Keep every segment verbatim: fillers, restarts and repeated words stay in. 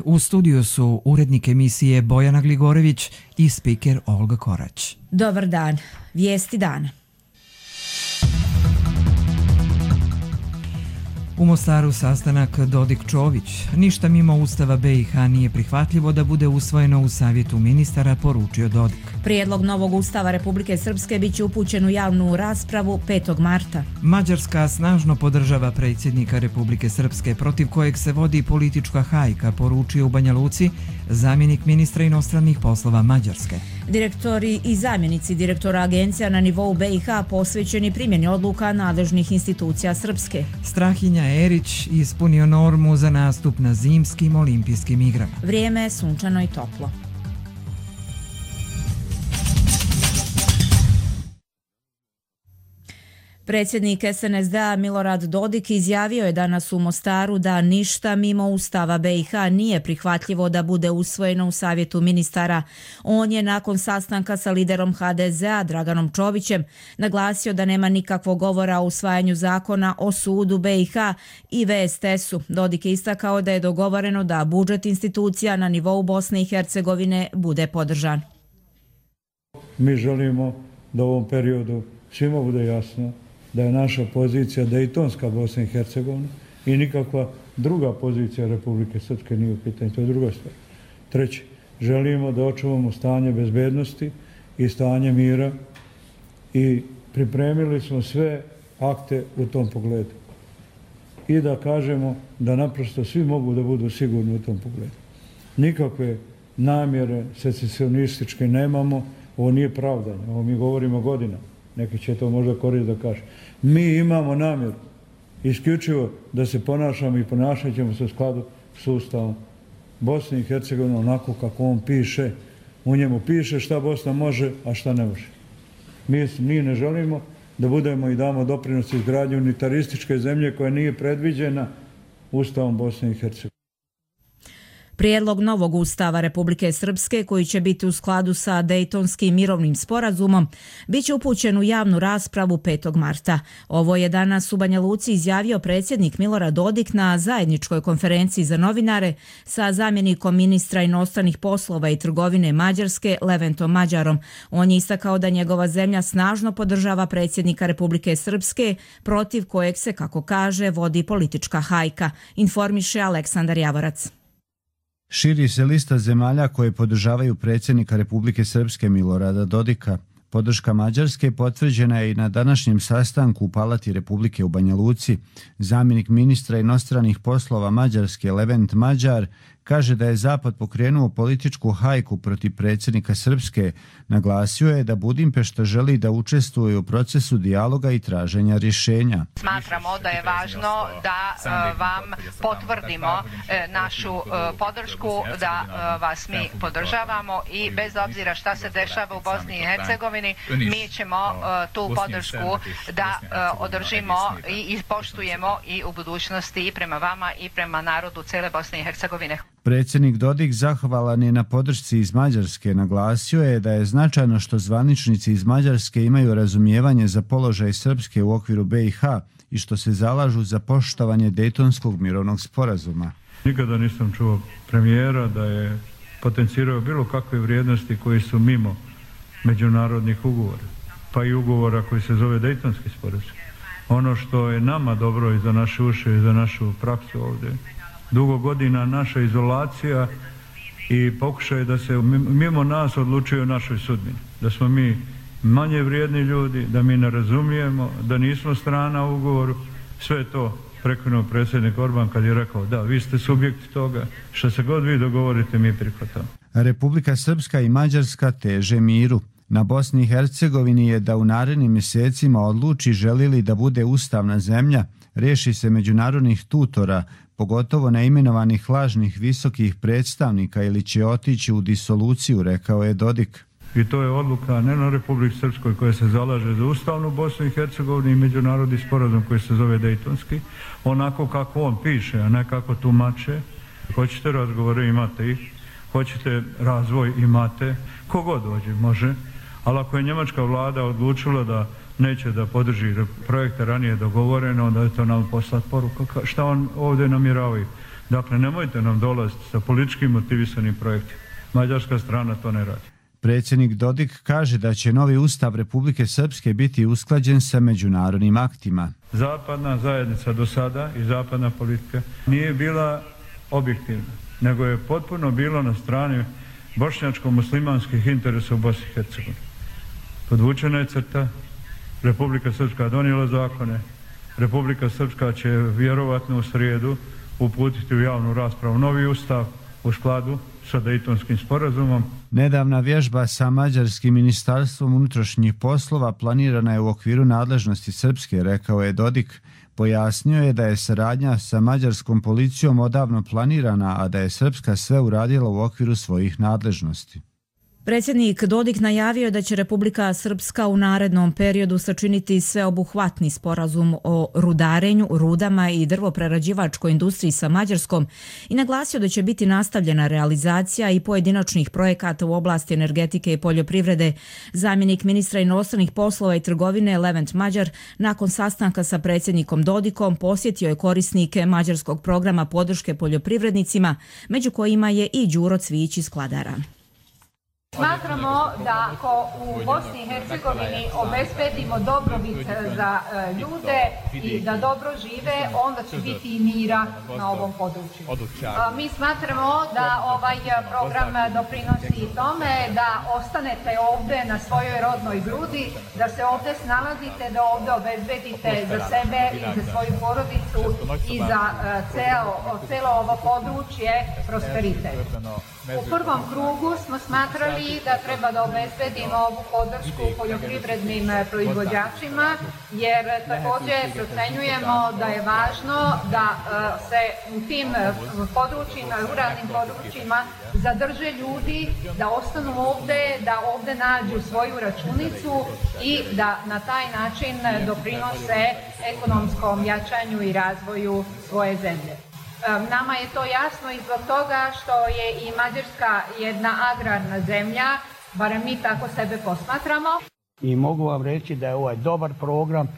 U studiju su urednik emisije Bojana Gligorević i spiker Olga Korać. Dobar dan. Vijesti dana. U Mostaru sastanak Dodik-Čović. Ništa mimo Ustava B i H nije prihvatljivo da bude usvojeno u Savjetu ministara, poručio Dodik. Prijedlog novog Ustava Republike Srpske biće upućen u javnu raspravu petog marta. Mađarska snažno podržava predsjednika Republike Srpske, protiv kojeg se vodi politička hajka, poručio u Banja Luci zamjenik ministra inostranih poslova Mađarske. Direktori i zamjenici direktora agencija na nivou B i H posvećeni primjeni odluka nadležnih institucija Srpske. Strahinja Erić ispunio normu za nastup na zimskim olimpijskim igrama. Vrijeme je sunčano i toplo. Predsjednik S N S D-a Milorad Dodik izjavio je danas u Mostaru da ništa mimo Ustava B i H nije prihvatljivo da bude usvojeno u Savjetu ministara. On je nakon sastanka sa liderom H D Z-a Draganom Čovićem naglasio da nema nikakvog govora o usvajanju zakona o sudu B i H i V S T S-u. Dodik je istakao da je dogovoreno da budžet institucija na nivou Bosne i Hercegovine bude podržan. Mi želimo da u ovom periodu svima bude jasno da je naša pozicija Dejtonska Bosna i Hercegovina i nikakva druga pozicija Republike Srpske nije u pitanju. To je druga stvar. Treće, želimo da očuvamo stanje bezbednosti i stanje mira i pripremili smo sve akte u tom pogledu. I da kažemo da naprosto svi mogu da budu sigurni u tom pogledu. Nikakve namjere secesionističke nemamo, ovo nije pravdanje, ovo mi govorimo godinama. Neki će to možda koristiti da kaže. Mi imamo namjeru isključivo da se ponašamo i ponašat ćemo se u skladu s Ustavom Bosne i Hercegovine onako kako on piše. U njemu piše šta Bosna može, a šta ne može. Mi, mi ne želimo da budemo i damo doprinos izgradnju unitarističke zemlje koja nije predviđena Ustavom Bosne i Hercegovine. Prijedlog novog Ustava Republike Srpske, koji će biti u skladu sa Dejtonskim mirovnim sporazumom, bit će upućen u javnu raspravu petog marta. Ovo je danas u Banja Luci izjavio predsjednik Milorad Dodik na zajedničkoj konferenciji za novinare sa zamjenikom ministra inostranih poslova i trgovine Mađarske Leventom Mađarom. On je istakao da njegova zemlja snažno podržava predsjednika Republike Srpske, protiv kojeg se, kako kaže, vodi politička hajka, informiše Aleksandar Javorac. Širi se lista zemalja koje podržavaju predsjednika Republike Srpske Milorada Dodika. Podrška Mađarske potvrđena je i na današnjem sastanku u Palati Republike u Banja Luci. Zamjenik ministra inostranih poslova Mađarske Levent Mađar kaže da je Zapad pokrenuo političku hajku protiv predsjednika Srpske. Naglasio je da Budimpešta želi da učestvuje u procesu dijaloga i traženja rješenja. Smatramo da je važno da vam potvrdimo našu podršku, da vas mi podržavamo i bez obzira šta se dešava u Bosni i Hercegovini, mi ćemo tu podršku da održimo i ispoštujemo i u budućnosti i prema vama i prema narodu cele Bosne i Hercegovine. Predsjednik Dodik zahvalan je na podršci iz Mađarske. Naglasio je da je značajno što zvaničnici iz Mađarske imaju razumijevanje za položaj Srpske u okviru B i H i što se zalažu za poštovanje Dejtonskog mirovnog sporazuma. Nikada nisam čuo premijera da je potencirao bilo kakve vrijednosti koji su mimo međunarodnih ugovora, pa i ugovora koji se zove Dejtonski sporazum. Ono što je nama dobro i za naše uše i za našu praksu ovdje, dugo godina naša izolacija i pokušaj da se mimo nas odlučuje o našoj sudbini. Da smo mi manje vrijedni ljudi, da mi ne razumijemo, da nismo strana u ugovoru. Sve to prekinuo predsjednik Orban kad je rekao da, vi ste subjekti toga, što se god vi dogovorite mi prihvatamo. Republika Srpska i Mađarska teže miru. Na Bosni i Hercegovini je da u narednim mjesecima odluči želi li da bude ustavna zemlja, riješi se međunarodnih tutora, pogotovo neimenovanih lažnih visokih predstavnika ili će otići u disoluciju, rekao je Dodik. I to je odluka ne na Republici Srpskoj koja se zalaže za ustavnu Bosnu i Hercegovinu i međunarodni sporazum koji se zove Dejtonski, onako kako on piše, a ne kako tumače. Hoćete razgovore, imate ih. Hoćete razvoj, imate. Kogod dođe, može. Ali ako je njemačka vlada odlučila da neće da podrži projekte ranije dogovoreno, onda je to nam poslati poruka šta on ovdje namjeravaju. Dakle, nemojte nam dolaziti sa političkim motivisanim projektima. Mađarska strana to ne radi. Predsjednik Dodik kaže da će novi ustav Republike Srpske biti usklađen sa međunarodnim aktima. Zapadna zajednica do sada i zapadna politika nije bila objektivna, nego je potpuno bilo na strani bošnjačko-muslimanskih interesa u Bosni i Hercegovini. Podvučena je crta, Republika Srpska donijela zakone, Republika Srpska će vjerovatno u srijedu uputiti u javnu raspravu novi ustav u skladu sa Dejtonskim sporazumom. Nedavna vježba sa Mađarskim ministarstvom unutrašnjih poslova planirana je u okviru nadležnosti Srpske, rekao je Dodik. Pojasnio je da je saradnja sa mađarskom policijom odavno planirana, a da je Srpska sve uradila u okviru svojih nadležnosti. Predsjednik Dodik najavio je da će Republika Srpska u narednom periodu sačiniti sveobuhvatni sporazum o rudarenju, rudama i drvoprerađivačkoj industriji sa Mađarskom i naglasio da će biti nastavljena realizacija i pojedinačnih projekata u oblasti energetike i poljoprivrede. Zamjenik ministra inostranih poslova i trgovine Levent Mađar nakon sastanka sa predsjednikom Dodikom posjetio je korisnike mađarskog programa podrške poljoprivrednicima, među kojima je i Đuro Cvijić iz Kladara. Smatramo da ako u Bosni i Hercegovini obezbedimo dobrobit za ljude i da dobro žive, onda će biti i mira na ovom području. Mi smatramo da ovaj program doprinosi tome da ostanete ovdje na svojoj rodnoj grudi, da se ovdje snalazite, da ovdje obezbedite za sebe i za svoju porodicu i za celo, celo ovo područje prosperitet. U prvom krugu smo smatrali da treba da obezbedimo ovu podršku poljoprivrednim proizvođačima, jer također procenjujemo da je važno da se u tim područjima, ruralnim područjima zadrže ljudi, da ostanu ovdje, da ovdje nađu svoju računicu i da na taj način doprinose ekonomskom jačanju i razvoju svoje zemlje. Nama je to jasno i zbog toga što je i Mađarska jedna agrarna zemlja, barem mi tako sebe posmatramo. I mogu vam reći da je ovaj dobar program, e,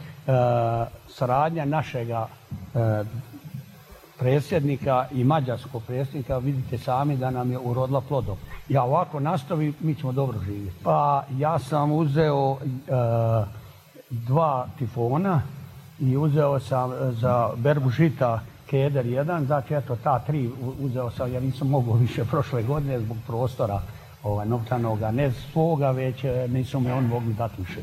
saradnja našega e, predsjednika i mađarskog predsjednika, vidite sami da nam je urodila plodom. Ja ovako nastavi, mi ćemo dobro živjeti. Pa ja sam uzeo e, dva tifona i uzeo sam za berbu žita Keder jedan, znači eto ta tri uzeo sam, ja nisam mogao više prošle godine zbog prostora ovaj, novčanoga, ne svoga, već nisu me on mogli dati više.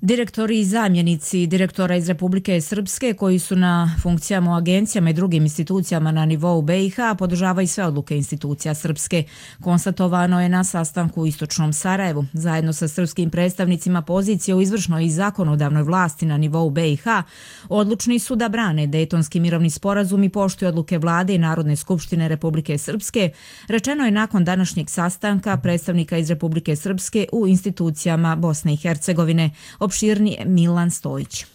Direktori i zamjenici direktora iz Republike Srpske koji su na funkcijama u agencijama i drugim institucijama na nivou B i H podržavaju sve odluke institucija Srpske. Konstatovano je na sastanku u Istočnom Sarajevu. Zajedno sa srpskim predstavnicima pozicije u izvršnoj i zakonodavnoj vlasti na nivou B i H odlučni su da brane Dejtonski mirovni sporazum i poštuju odluke vlade i Narodne skupštine Republike Srpske, rečeno je nakon današnjeg sastanka predstavnika iz Republike Srpske u institucijama Bosne i Hercegovine. Opširni Milan Stojić.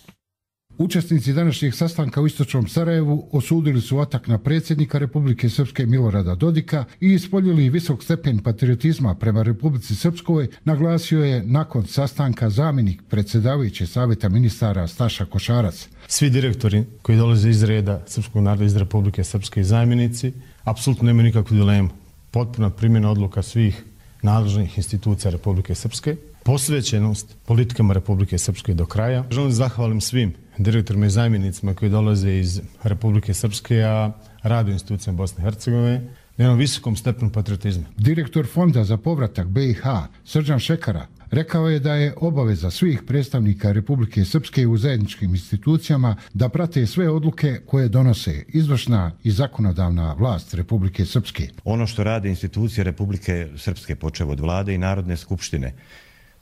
Učesnici današnjeg sastanka u Istočnom Sarajevu osudili su atak na predsjednika Republike Srpske Milorada Dodika i ispoljili visok stepen patriotizma prema Republici Srpskoj, naglasio je nakon sastanka zamjenik predsjedavajuće savjeta ministara Staša Košarac. Svi direktori koji dolaze iz reda srpskog naroda iz Republike Srpske i zamjenici apsolutno nemaju nikakvu dilemu. Potpuna primjena odluka svih nadležnih institucija Republike Srpske, posvećenost politikama Republike Srpske do kraja. Želim zahvalim svim direktorima i zamjenicima koji dolaze iz Republike Srpske, a rade u institucijama Bosne i Hercegovine, na jednom visokom stepenu patriotizma. Direktor Fonda za povratak B i H, Srđan Šekara, rekao je da je obaveza svih predstavnika Republike Srpske u zajedničkim institucijama da prate sve odluke koje donose izvršna i zakonodavna vlast Republike Srpske. Ono što rade institucije Republike Srpske, počev od vlade i Narodne skupštine,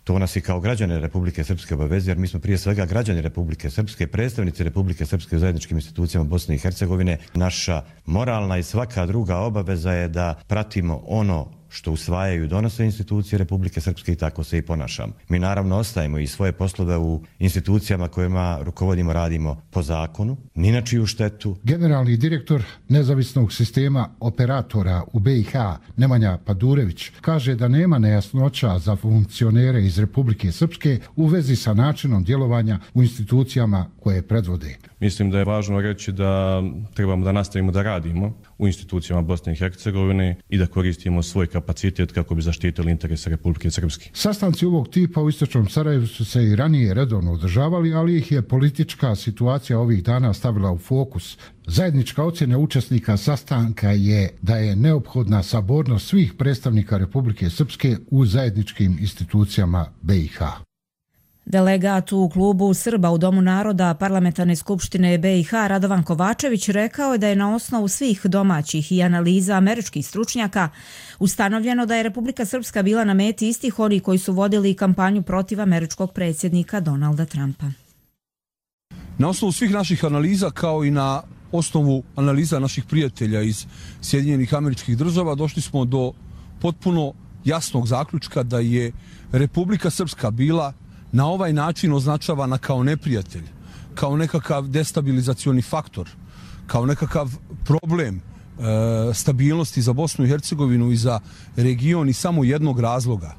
to nas i kao građane Republike Srpske obavezuje, jer mi smo prije svega građani Republike Srpske, predstavnici Republike Srpske u zajedničkim institucijama Bosne i Hercegovine. Naša moralna i svaka druga obaveza je da pratimo ono što usvajaju i donose institucije Republike Srpske i tako se i ponašamo. Mi naravno ostajemo i svoje poslove u institucijama kojima rukovodimo, radimo po zakonu, ni na čiju štetu. Generalni direktor nezavisnog sistema operatora u B i H, Nemanja Padurević, kaže da nema nejasnoća za funkcionere iz Republike Srpske u vezi sa načinom djelovanja u institucijama koje predvode. Mislim da je važno reći da trebamo da nastavimo da radimo u institucijama Bosne i Hercegovine i da koristimo svoj kapacitet kako bi zaštitili interese Republike Srpske. Sastanci ovog tipa u istočnom Sarajevu su se i ranije redovno održavali, ali ih je politička situacija ovih dana stavila u fokus. Zajednička ocjena učesnika sastanka je da je neophodna sabornost svih predstavnika Republike Srpske u zajedničkim institucijama B i H. Delegat u klubu Srba u Domu naroda Parlamentarne skupštine B i H Radovan Kovačević rekao je da je na osnovu svih domaćih i analiza američkih stručnjaka ustanovljeno da je Republika Srpska bila na meti istih onih koji su vodili kampanju protiv američkog predsjednika Donalda Trumpa. Na osnovu svih naših analiza kao i na osnovu analiza naših prijatelja iz Sjedinjenih Američkih Država došli smo do potpuno jasnog zaključka da je Republika Srpska bila na ovaj način označavana kao neprijatelj, kao nekakav destabilizacioni faktor, kao nekakav problem e, stabilnosti za Bosnu i Hercegovinu i za region i samo jednog razloga,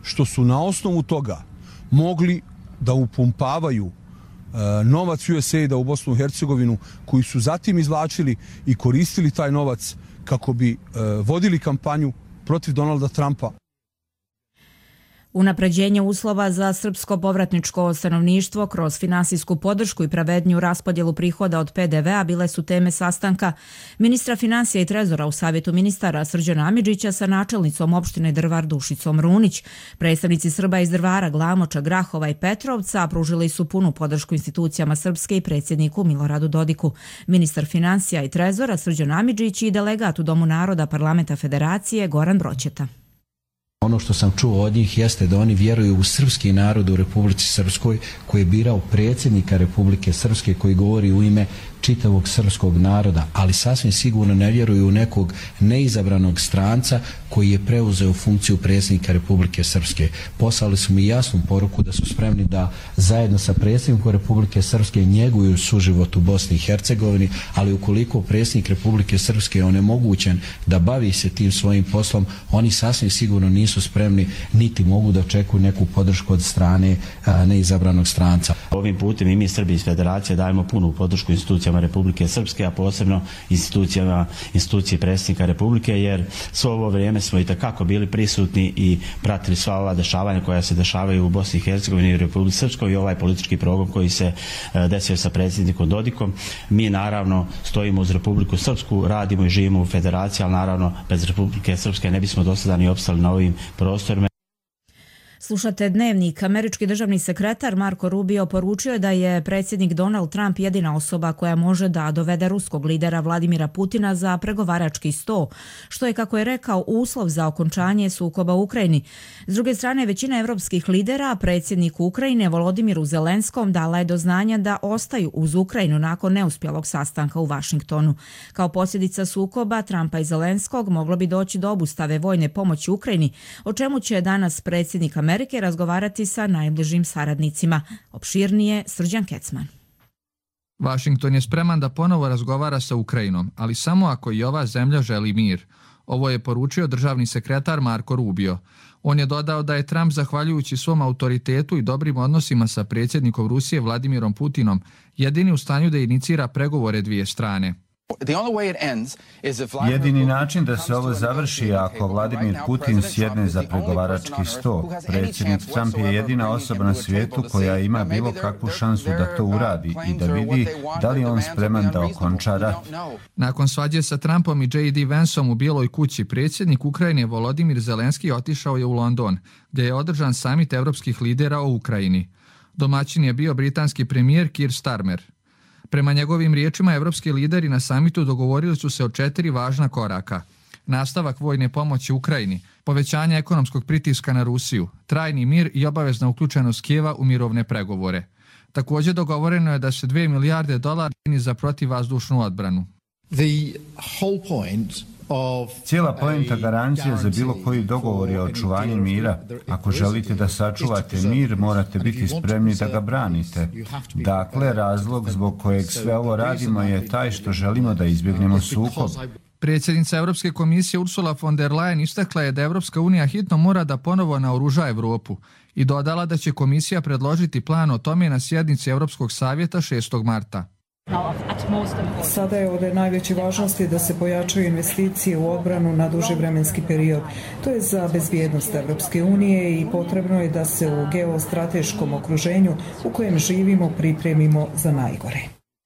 što su na osnovu toga mogli da upumpavaju e, novac U S A I D-a u Bosnu i Hercegovinu, koji su zatim izvlačili i koristili taj novac kako bi e, vodili kampanju protiv Donalda Trumpa. Unapređenje uslova za srpsko povratničko stanovništvo kroz finansijsku podršku i pravedniju raspodjelu prihoda od P D V-a bile su teme sastanka ministra financija i trezora u Savjetu ministara Srđana Amidžića sa načelnicom opštine Drvar Dušicom Runić. Predstavnici Srba iz Drvara, Glamoča, Grahova i Petrovca pružili su punu podršku institucijama Srpske i predsjedniku Miloradu Dodiku. Ministar financija i trezora Srđan Amidžić i delegat u Domu naroda Parlamenta Federacije Goran Broćeta. Ono što sam čuo od njih jeste da oni vjeruju u srpski narod u Republici Srpskoj, koji je birao predsjednika Republike Srpske, koji govori u ime čitavog srpskog naroda, ali sasvim sigurno ne vjeruju u nekog neizabranog stranca koji je preuzeo funkciju predsjednika Republike Srpske. Poslali su mi jasnu poruku da su spremni da zajedno sa predsjednikom Republike Srpske njeguju suživot u Bosni i Hercegovini, ali ukoliko predsjednik Republike Srpske je onemogućen da bavi se tim svojim poslom, oni sasvim sigurno nisu spremni niti mogu da očekuju neku podršku od strane a, neizabranog stranca. Ovim putem i mi Srbi iz Federacije dajemo punu podršku institucijama Republike Srpske, a posebno institucijama institucije predsjednika Republike, jer svo ovo vrijeme smo i takako bili prisutni i pratili sva ova dešavanja koja se dešavaju u Bosni i Hercegovini i Republici Srpskoj i ovaj politički program koji se desio sa predsjednikom Dodikom. Mi naravno stojimo uz Republiku Srpsku, radimo i živimo u Federaciji, ali naravno bez Republike Srpske ne bismo do sada ni opstali na ovim prostorima. Slušate Dnevnik. Američki državni sekretar Marko Rubio poručio je da je predsjednik Donald Trump jedina osoba koja može da dovede ruskog lidera Vladimira Putina za pregovarački sto, što je, kako je rekao, uslov za okončanje sukoba u Ukrajini. S druge strane, većina evropskih lidera predsjedniku Ukrajine Volodimiru Zelenskom dala je do znanja da ostaju uz Ukrajinu nakon neuspjelog sastanka u Vašingtonu. Kao posljedica sukoba Trumpa i Zelenskog moglo bi doći do obustave vojne pomoći Ukrajini, o čemu će danas predsjednik Amerike Amerike razgovarati sa najbližim saradnicima. Opširnije Srđan Kecman. Vašington je spreman da ponovo razgovara sa Ukrajinom, ali samo ako i ova zemlja želi mir. Ovo je poručio državni sekretar Marko Rubio. On je dodao da je Trump, zahvaljujući svom autoritetu i dobrim odnosima sa predsjednikom Rusije Vladimirom Putinom, jedini u stanju da inicira pregovore dvije strane. Jedini način da se ovo završi je ako Vladimir Putin sjedne za pregovarački sto. Predsjednik Trump je jedina osoba na svijetu koja ima bilo kakvu šansu da to uradi i da vidi da li je on spreman da okonča rat. Nakon svađe sa Trumpom i J D Vanceom u Bijeloj kući, predsjednik Ukrajine Volodimir Zelenski otišao je u London, gdje je održan samit evropskih lidera o Ukrajini. Domaćin je bio britanski premijer Keir Starmer. Prema njegovim riječima, evropski lideri na samitu dogovorili su se o četiri važna koraka. Nastavak vojne pomoći Ukrajini, povećanje ekonomskog pritiska na Rusiju, trajni mir i obavezna uključenost Kijeva u mirovne pregovore. Također dogovoreno je da se dvije milijarde dolara za protivvazdušnu odbranu. The whole point Cijela poenta garancija za bilo koji dogovor je očuvanje mira. Ako želite da sačuvate mir, morate biti spremni da ga branite. Dakle, razlog zbog kojeg sve ovo radimo je taj što želimo da izbjegnemo sukob. Predsjednica Europske komisije Ursula von der Leyen istakla je da Europska unija hitno mora da ponovo naoruža Europu i dodala da će komisija predložiti plan o tome na sjednici Europskog savjeta šestog marta. Sada je od najveće važnosti da se pojačaju investicije u odbranu na duži vremenski period. To je za bezbjednost Europske unije i potrebno je da se u geostrateškom okruženju u kojem živimo pripremimo za najgore.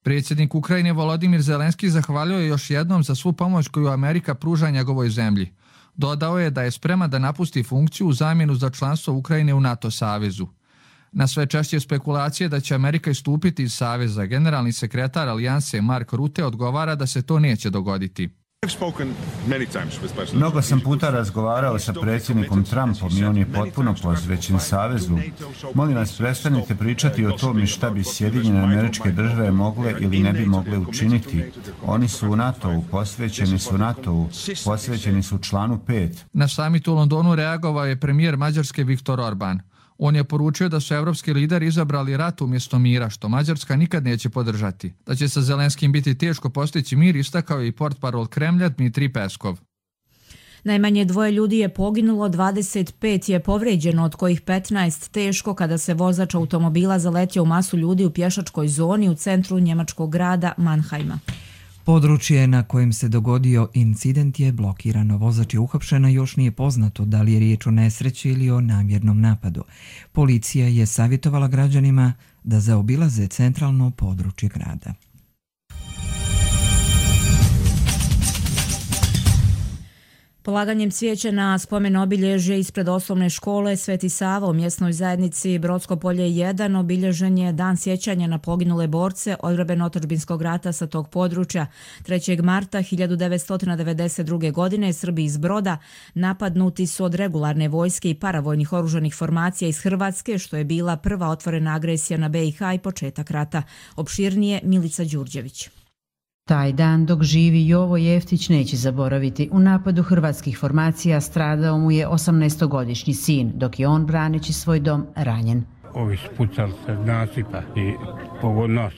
Predsjednik Ukrajine Volodimir Zelenski zahvalio je još jednom za svu pomoć koju Amerika pruža njegovoj zemlji. Dodao je da je spreman da napusti funkciju u zamjenu za članstvo Ukrajine u NATO savezu. Na sve češće spekulacije da će Amerika istupiti iz saveza, generalni sekretar alijanse Mark Rutte odgovara da se to neće dogoditi. Mnogo sam puta razgovarao sa predsjednikom Trumpom i on je potpuno posvećen savezu. Molim vas, prestanite pričati o tome šta bi Sjedinjene Američke Države mogle ili ne bi mogle učiniti. Oni su u NATO-u, posvećeni su NATO-u, posvećeni su članu pet. Na samitu u Londonu reagovao je premijer Mađarske Viktor Orban. On je poručio da su evropski lideri izabrali rat umjesto mira, što Mađarska nikad neće podržati. Da će sa Zelenskim biti teško postići mir, istakao je i portparol Kremlja Dmitrij Peskov. Najmanje dvoje ljudi je poginulo, dvadeset pet je povrijeđeno, od kojih petnaest teško kada se vozač automobila zaletio u masu ljudi u pješačkoj zoni u centru njemačkog grada Mannheima. Područje na kojem se dogodio incident je blokirano. Vozač je uhapšen, a još nije poznato da li je riječ o nesreći ili o namjernom napadu. Policija je savjetovala građanima da zaobilaze centralno područje grada. Polaganjem cvijeća na spomen obilježje ispred osnovne škole Sveti Sava u mjesnoj zajednici Brodsko polje jedan obilježen je dan sjećanja na poginule borce odbrambeno-otadžbinskog rata sa tog područja. trećeg marta hiljadu devetsto devedeset druge. godine Srbi iz Broda napadnuti su od regularne vojske i paravojnih oružanih formacija iz Hrvatske, što je bila prva otvorena agresija na B i H i početak rata. Opširnije Milica Đurđević. Taj dan dok živi Jovo Jeftić neće zaboraviti. U napadu hrvatskih formacija stradao mu je osamnaestogodišnji sin, dok je on braneći svoj dom ranjen. Ovi spucali se nasipa i pogodno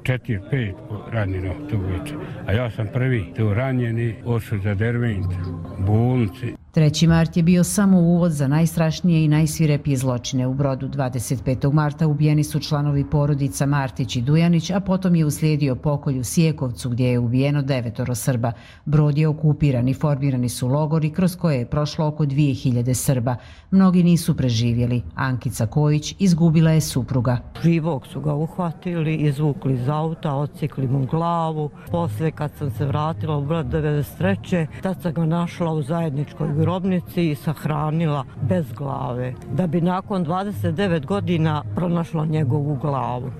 četiri, pet ranjeno tu večer. A ja sam prvi tu ranjeni, ošao za Dervent, bolnici. treći mart je bio samo uvod za najstrašnije i najsvirepije zločine u Brodu. dvadeset petog marta ubijeni su članovi porodica Martić i Dujanić, a potom je uslijedio pokolj u Sjekovcu gdje je ubijeno devetoro Srba. Brod je okupiran i formirani su logori kroz koje je prošlo oko dvije hiljade Srba. Mnogi nisu preživjeli. Ankica Kojić izgubila je supruga. Živog su ga uhvatili, izvukli iz auta, odsekli mu glavu. Poslije kad sam se vratila u Brod devedeset treće. tad sam ga našla u zajedničkoj grobnici i sahranila bez glave, da bi nakon dvadeset devet godina pronašla njegovu glavu.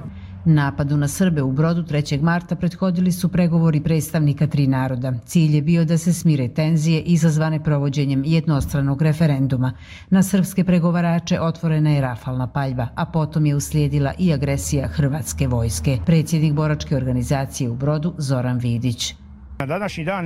Napadu na Srbe u Brodu trećeg marta prethodili su pregovori predstavnika tri naroda. Cilj je bio da se smire tenzije izazvane provođenjem jednostranog referenduma. Na srpske pregovarače otvorena je rafalna paljba, a potom je uslijedila i agresija hrvatske vojske. Predsjednik boračke organizacije u Brodu Zoran Vidić. Na današnji dan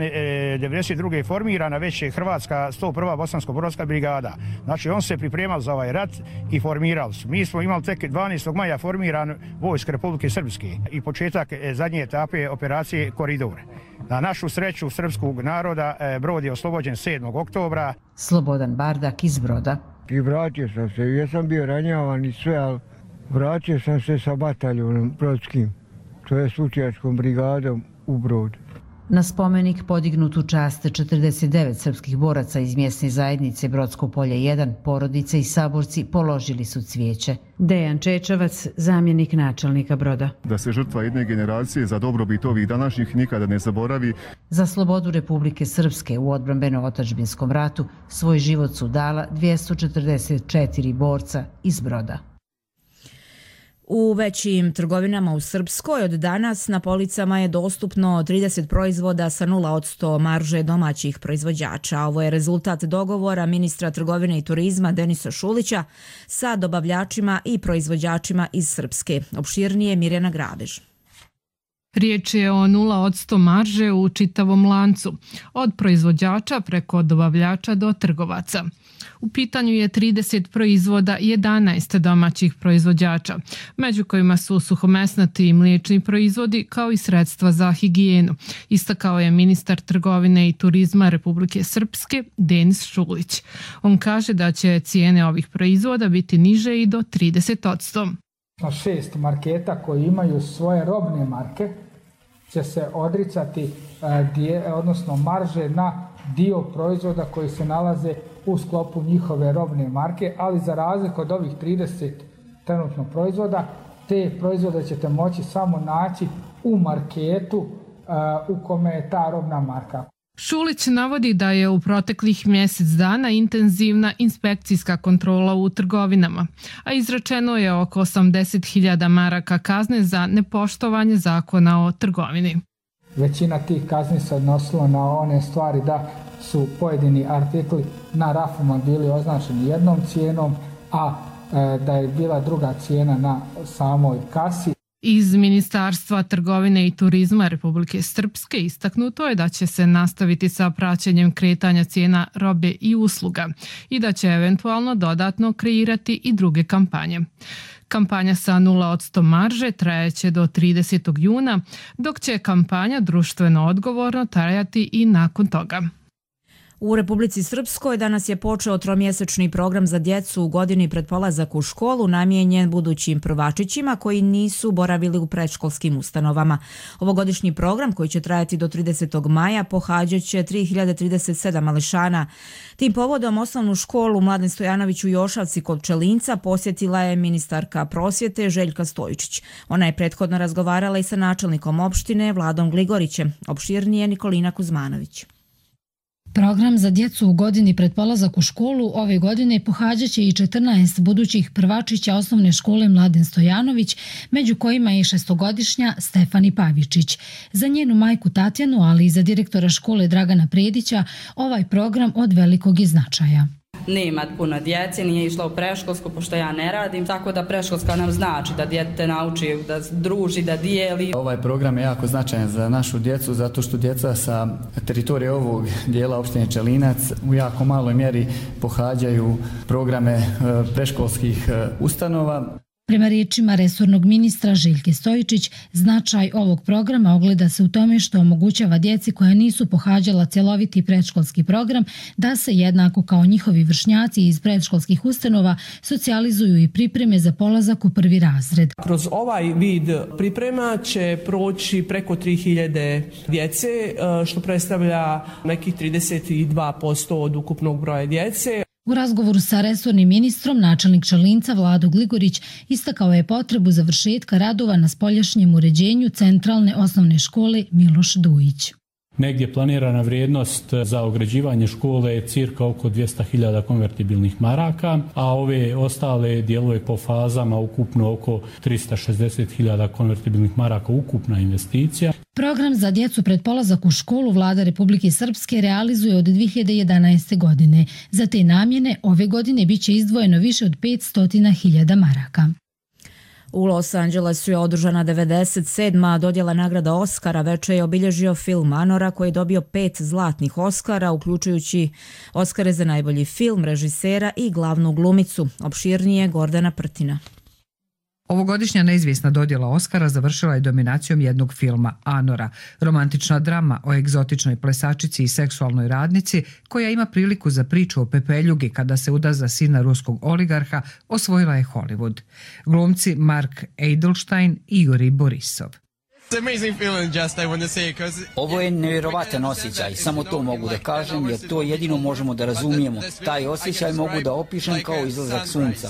devedeset druge je formirana već je Hrvatska sto prva bosansko-brodska brigada. Znači on se pripremao za ovaj rat i formirali su. Mi smo imali tek dvanaestog maja formiran vojsk Republike Srpske i početak zadnje etape operacije Koridor. Na našu sreću srpskog naroda Brod je oslobođen sedmog oktobra. Slobodan Bardak iz Broda. I vratio sam se, ja sam bio ranjavan i sve, ali vratio sam se sa bataljonom brodskim, to je slučajačkom brigadom u Brod. Na spomenik podignut u čast četrdeset devet srpskih boraca iz mjesne zajednice Brodsko polje jedan, porodice i saborci položili su cvijeće. Dejan Čečavac, zamjenik načelnika Broda. Da se žrtva jedne generacije za dobrobit ovih današnjih nikada ne zaboravi. Za slobodu Republike Srpske u odbrambeno-otadžbinskom ratu svoj život su dala dvjesto četrdeset četiri borca iz Broda. U većim trgovinama u Srpskoj od danas na policama je dostupno trideset proizvoda sa nula posto marže domaćih proizvođača. Ovo je rezultat dogovora ministra trgovine i turizma Denisa Šulića sa dobavljačima i proizvođačima iz Srpske. Opširnije Mirjana Grabež. Riječ je o nula posto marže u čitavom lancu, od proizvođača preko dobavljača do trgovaca. U pitanju je trideset proizvoda i jedanaest domaćih proizvođača, među kojima su suhomesnati i mliječni proizvodi kao i sredstva za higijenu, istakao je ministar trgovine i turizma Republike Srpske Denis Šulić. On kaže da će cijene ovih proizvoda biti niže i do trideset posto. Šest marketa koji imaju svoje robne marke će se odricati odnosno marže na dio proizvoda koji se nalaze u sklopu njihove robne marke, ali za razliku od ovih trideset trenutno proizvoda, te proizvode ćete moći samo naći u marketu u kome je ta robna marka. Šulić navodi da je u proteklih mjesec dana intenzivna inspekcijska kontrola u trgovinama, a izrečeno je oko osamdeset hiljada maraka kazne za nepoštovanje zakona o trgovini. Većina tih kazni se odnosilo na one stvari da su pojedini artikli na rafuma bili označeni jednom cijenom, a e, da je bila druga cijena na samoj kasi. Iz Ministarstva trgovine i turizma Republike Srpske istaknuto je da će se nastaviti sa praćenjem kretanja cijena robe i usluga i da će eventualno dodatno kreirati i druge kampanje. Kampanja sa nula posto marže trajaće do tridesetog juna, dok će kampanja društveno odgovorno trajati i nakon toga. U Republici Srpskoj danas je počeo tromjesečni program za djecu u godini pred polazak u školu namijenjen budućim prvačićima koji nisu boravili u predškolskim ustanovama. Ovogodišnji program, koji će trajati do tridesetog maja, pohađat će tri hiljade trideset sedam mališana. Tim povodom osnovnu školu Mladen Stojanović u Jošavci kod Pčelinca posjetila je ministarka prosvjete Željka Stojičić. Ona je prethodno razgovarala i sa načelnikom opštine Vladom Gligorićem. Opširnije Nikolina Kuzmanović. Program za djecu u godini pred polazak u školu ove godine pohađat će i četrnaest budućih prvačića osnovne škole Mladen Stojanović, među kojima je šestogodišnja Stefani Pavičić. Za njenu majku Tatjanu, ali i za direktora škole Dragana Predića, ovaj program od velikog je značaja. Nema puno djece, nije išla u preškolsku, pošto ja ne radim, tako da preškolska nam znači da dijete nauči da druži, da dijeli. Ovaj program je jako značajan za našu djecu, zato što djeca sa teritorije ovog dijela opštine Pčelinac u jako maloj mjeri pohađaju programe preškolskih ustanova. Prema riječima resornog ministra Željke Stojičić, značaj ovog programa ogleda se u tome što omogućava djeci koja nisu pohađala cjeloviti predškolski program da se jednako kao njihovi vršnjaci iz predškolskih ustanova socijalizuju i pripreme za polazak u prvi razred. Kroz ovaj vid priprema će proći preko tri hiljade djece, što predstavlja nekih trideset dva posto od ukupnog broja djece. U razgovoru sa resornim ministrom, načelnik Pčelinca Vlado Gligorić istakao je potrebu završetka radova na spoljašnjem uređenju centralne osnovne škole Miloš Dujić. Negdje planirana vrijednost za ograđivanje škole je cirka oko dvjesto hiljada konvertibilnih maraka, a ove ostale dijelove po fazama ukupno oko tristo šezdeset hiljada konvertibilnih maraka ukupna investicija. Program za djecu pred polazak u školu Vlada Republike Srpske realizuje od dvije hiljade jedanaeste. godine. Za te namjene ove godine biće izdvojeno više od petsto hiljada maraka. U Los Angelesu je održana devedeset sedma dodjela nagrada Oskara. Večer je obilježio film Anora koji je dobio pet zlatnih Oskara, uključujući Oskare za najbolji film, režisera i glavnu glumicu. Opširnije Gordana Prtina. Ovogodišnja neizvjesna dodjela Oskara završila je dominacijom jednog filma, Anora, romantična drama o egzotičnoj plesačici i seksualnoj radnici koja ima priliku za priču o pepeljugi kada se uda za sina ruskog oligarha, osvojila je Hollywood. Glumci Mark Edelstein i Juri Borisov. Ovo je nevjerovatan osjećaj, samo to mogu da kažem jer to jedino možemo da razumijemo. Taj osjećaj mogu da opišem kao izlazak sunca.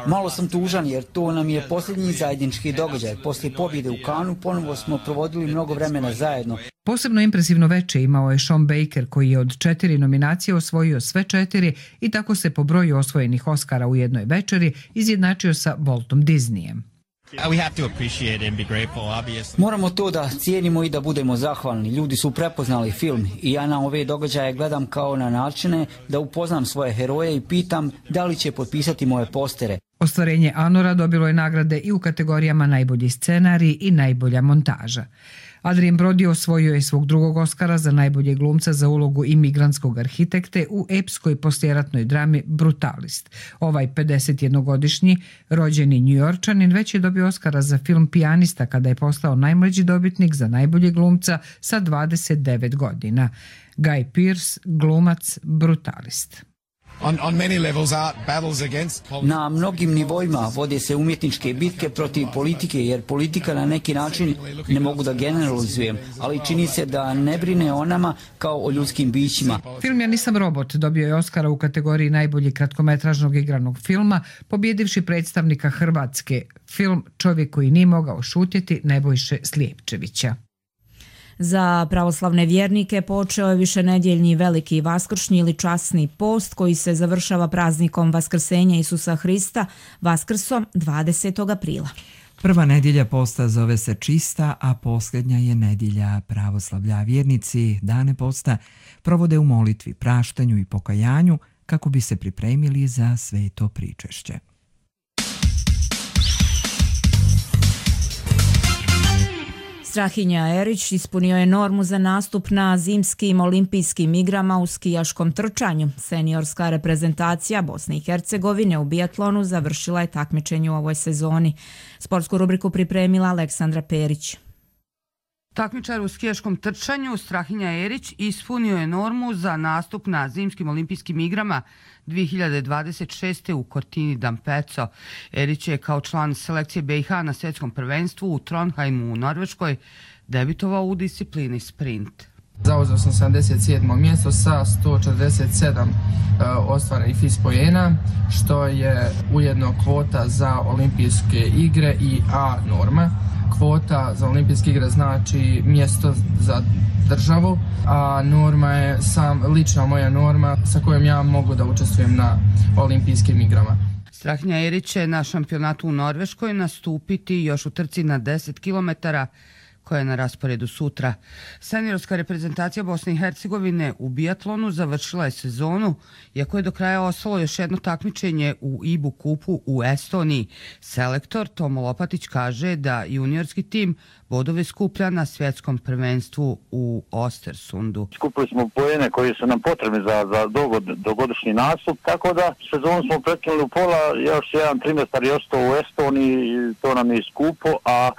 Malo sam tužan jer to nam je posljednji zajednički događaj. Poslije pobjede u Kanu ponovo smo provodili mnogo vremena zajedno. Posebno impresivno veče imao je Sean Baker koji je od četiri nominacije osvojio sve četiri i tako se po broju osvojenih Oskara u jednoj večeri izjednačio sa Waltom Disneyem. Moramo to da cijenimo i da budemo zahvalni. Ljudi su prepoznali film i ja na ove događaje gledam kao na načine da upoznam svoje heroje i pitam da li će potpisati moje postere. Ostvarenje Anora dobilo je nagrade i u kategorijama najbolji scenarij i najbolja montaža. Adrien Brody osvojio je svog drugog Oskara za najboljeg glumca za ulogu imigrantskog arhitekte u epskoj poslijeratnoj drami Brutalist. Ovaj pedesetjednogodišnji rođeni Njujorčanin već je dobio Oskara za film Pijanista kada je postao najmlađi dobitnik za najboljeg glumca sa dvadeset devet godina. Guy Pearce, glumac Brutalist. Na mnogim nivoima vode se umjetničke bitke protiv politike, jer politika na neki način, ne mogu da generalizujem, ali čini se da ne brine o nama kao o ljudskim bićima. Film Ja nisam robot dobio je Oskara u kategoriji najboljeg kratkometražnog igranog filma, pobjedivši predstavnika Hrvatske, film Čovjek koji nije mogao šutjeti Nebojše Slijepčevića. Za pravoslavne vjernike počeo je višenedjeljni veliki vaskršnji ili časni post koji se završava praznikom Vaskrsenja Isusa Hrista, Vaskrsom dvadesetog aprila. Prva nedjelja posta zove se Čista, a posljednja je nedjelja pravoslavlja. Vjernici dane posta provode u molitvi, praštanju i pokajanju kako bi se pripremili za sveto pričešće. Strahinja Erić ispunio je normu za nastup na zimskim olimpijskim igrama u skijaškom trčanju. Seniorska reprezentacija Bosne i Hercegovine u biatlonu završila je takmičenje u ovoj sezoni. Sportsku rubriku pripremila Aleksandra Perić. Takmičar u skijaškom trčanju Strahinja Erić ispunio je normu za nastup na zimskim olimpijskim igrama dvije hiljade dvadeset šeste. u Cortini d'Ampezzo. Erić je kao član selekcije B i H na svjetskom prvenstvu u Trondheimu u Norveškoj debitovao u disciplini sprint. Zauzeo sam sedamdeset sedmo mjesto sa sto četrdeset sedam ostvarenih F I S poena, što je ujedno kvota za olimpijske igre i A norma. Kvota za olimpijske igre znači mjesto za državu, a norma je sam lična moja norma sa kojom ja mogu da učestvujem na olimpijskim igrama. Strahinja Erić će na šampionatu u Norveškoj nastupiti još u trci na deset kilometara koja je na rasporedu sutra. Seniorska reprezentacija Bosne i Hercegovine u biatlonu završila je sezonu, iako je do kraja ostalo još jedno takmičenje u I B U kupu u Estoniji. Selektor Tomo Lopatić kaže da juniorski tim bodove skuplja na svjetskom prvenstvu u Ostersundu. Skupili smo poene koji su nam potrebni za, za dogod, dogodišnji nastup, tako da sezonu smo prekinuli u pola, još jedan trimestar je ostao u Estoniji, to nam je skupo, a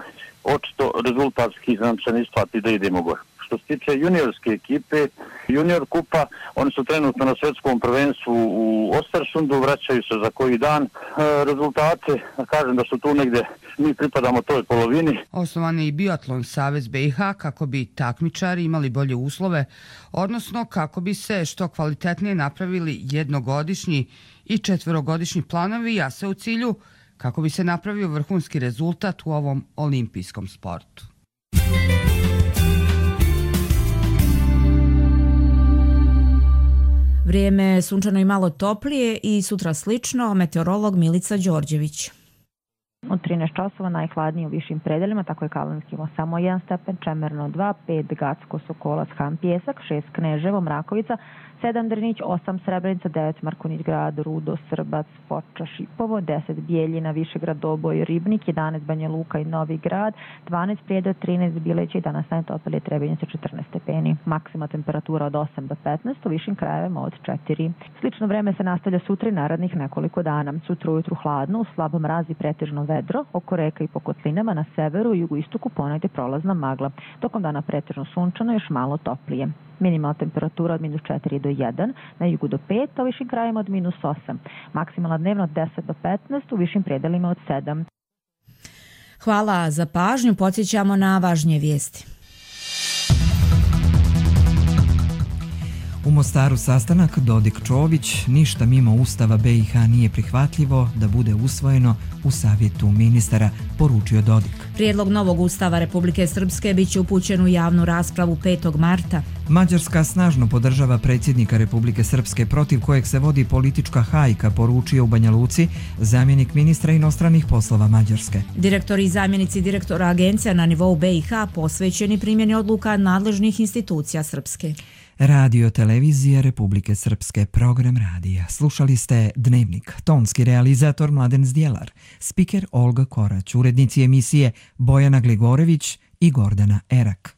očito rezultatski nam se ne isplati da idemo gore. Što se tiče juniorske ekipe, junior kupa, oni su trenutno na svjetskom prvenstvu u Ostersundu, vraćaju se za koji dan. E, rezultate, kažem da su tu negdje, mi pripadamo toj polovini. Osnovan je i Biatlon savez B i H kako bi takmičari imali bolje uslove, odnosno kako bi se što kvalitetnije napravili jednogodišnji i četverogodišnji planovi, a sve u cilju kako bi se napravio vrhunski rezultat u ovom olimpijskom sportu. Vrijeme je sunčano i malo toplije i sutra slično, meteorolog Milica Đorđević. Od trinaest časova najhladnije u višim predelima, tako je Kalanski imao samo jedan stepen, Čemerno dva, pet Gacko, Sokolac, Han, Pjesak, šest Kneževo, Mrakovica, sedam Drnić, osam Srebrenica, devet Markunić grad, Rudo, Srbac, Foča, Šipovo, deset Bijeljina, Višegrad, Doboj, Ribnik, jedanaest Banja Luka i Novi grad, dvanaest Prijedor, trinaest Bileća i danas najtoplije Trebinjica četrnaest stepeni. Maksima temperatura od osam do petnaest, u višim krajevima od četiri. Slično vreme se nastavlja sutra i narednih nekoliko dana. Sutra ujutru hladno, u slabom mrazi pretežno vedro, oko reka i po kotlinama na severu i jugoistoku ponegdje prolazna magla. Tokom dana pretežno sunčano, još malo toplije. Minimalna temperatura od minus četiri do jedan, na jugu do pet, a u višim krajima od minus osam. Maksimalna dnevna od deset do petnaest, u višim predelima od sedam. Hvala za pažnju, podsjećamo na važnije vijesti. U Mostaru sastanak Dodik-Čović, ništa mimo Ustava B i H nije prihvatljivo da bude usvojeno u Savjetu ministara, poručio Dodik. Prijedlog novog Ustava Republike Srpske bit će upućen u javnu raspravu petog marta. Mađarska snažno podržava predsjednika Republike Srpske protiv kojeg se vodi politička hajka, poručio u Banja Luci zamjenik ministra inostranih poslova Mađarske. Direktori i zamjenici direktora agencija na nivou B i H posvećeni primjeni odluka nadležnih institucija Srpske. Radio televizija Republike Srpske, program radija. Slušali ste Dnevnik, tonski realizator Mladen Zdjelar, spiker Olga Korać, urednici emisije Bojana Gligorević i Gordana Erak.